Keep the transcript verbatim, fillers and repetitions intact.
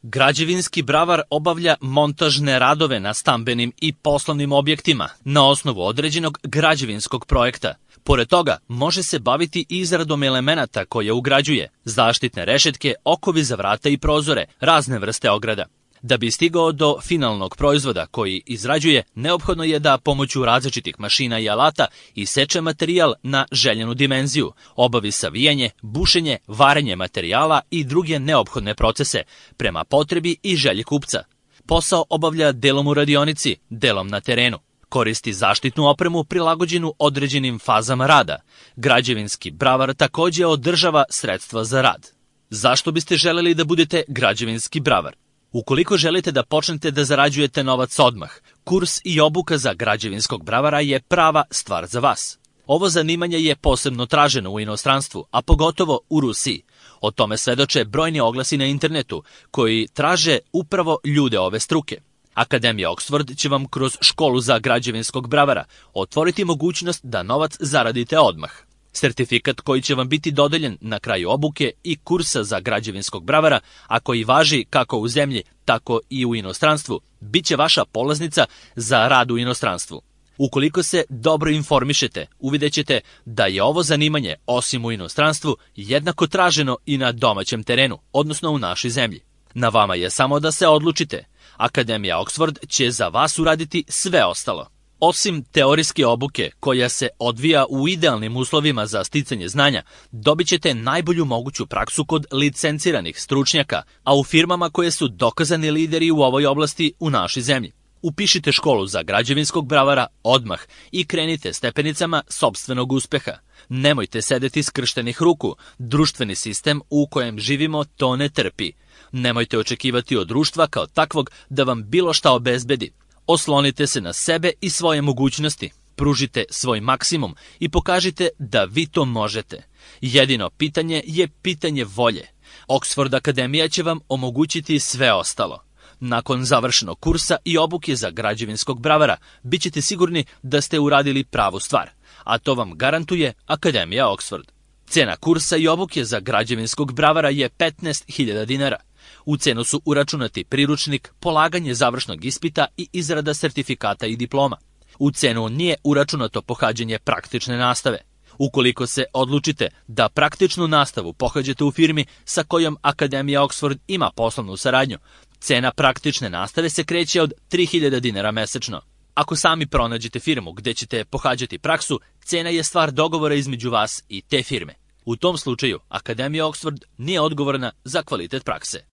Građevinski bravar obavlja montažne radove na stambenim i poslovnim objektima na osnovu određenog građevinskog projekta. Pored toga, može se baviti izradom elemenata koje ugrađuje, zaštitne rešetke, okovi za vrata i prozore, razne vrste ograda. Da bi stigao do finalnog proizvoda koji izrađuje, neophodno je da pomoću različitih mašina i alata iseče materijal na željenu dimenziju, obavi savijanje, bušenje, varenje materijala i druge neophodne procese prema potrebi i želji kupca. Posao obavlja delom u radionici, delom na terenu. Koristi zaštitnu opremu prilagođenu određenim fazama rada. Građevinski bravar takođe održava sredstva za rad. Zašto biste želeli da budete građevinski bravar? Ukoliko želite da počnete da zarađujete novac odmah, kurs i obuka za građevinskog bravara je prava stvar za vas. Ovo zanimanje je posebno traženo u inostranstvu, a pogotovo u Rusiji. O tome svedoče brojni oglasi na internetu koji traže upravo ljude ove struke. Akademija Oxford će vam kroz školu za građevinskog bravara otvoriti mogućnost da novac zaradite odmah. Sertifikat koji će vam biti dodeljen na kraju obuke i kursa za građevinskog bravara, a koji važi kako u zemlji, tako i u inostranstvu, bit će vaša polaznica za rad u inostranstvu. Ukoliko se dobro informišete, uvidjećete da je ovo zanimanje, osim u inostranstvu, jednako traženo i na domaćem terenu, odnosno u našoj zemlji. Na vama je samo da se odlučite. Akademija Oxford će za vas uraditi sve ostalo. Osim teorijske obuke, koja se odvija u idealnim uslovima za sticanje znanja, dobit ćete najbolju moguću praksu kod licenciranih stručnjaka, a u firmama koje su dokazani lideri u ovoj oblasti u našoj zemlji. Upišite školu za građevinskog bravara odmah i krenite stepenicama sopstvenog uspeha. Nemojte sedeti skrštenih ruku, društveni sistem u kojem živimo to ne trpi. Nemojte očekivati od društva kao takvog da vam bilo šta obezbedi. Oslonite se na sebe i svoje mogućnosti, pružite svoj maksimum i pokažite da vi to možete. Jedino pitanje je pitanje volje. Oxford Akademija će vam omogućiti sve ostalo. Nakon završenog kursa i obuke za građevinskog bravara, bit ćete sigurni da ste uradili pravu stvar, a to vam garantuje Akademija Oxford. Cena kursa i obuke za građevinskog bravara je petnaest hiljada dinara. U cenu su uračunati priručnik, polaganje završnog ispita i izrada sertifikata i diploma. U cenu nije uračunato pohađanje praktične nastave. Ukoliko se odlučite da praktičnu nastavu pohađate u firmi sa kojom Akademija Oxford ima poslovnu saradnju, cena praktične nastave se kreće od tri hiljade dinara mesečno. Ako sami pronađete firmu gde ćete pohađati praksu, cena je stvar dogovora između vas i te firme. U tom slučaju, Akademija Oxford nije odgovorna za kvalitet prakse.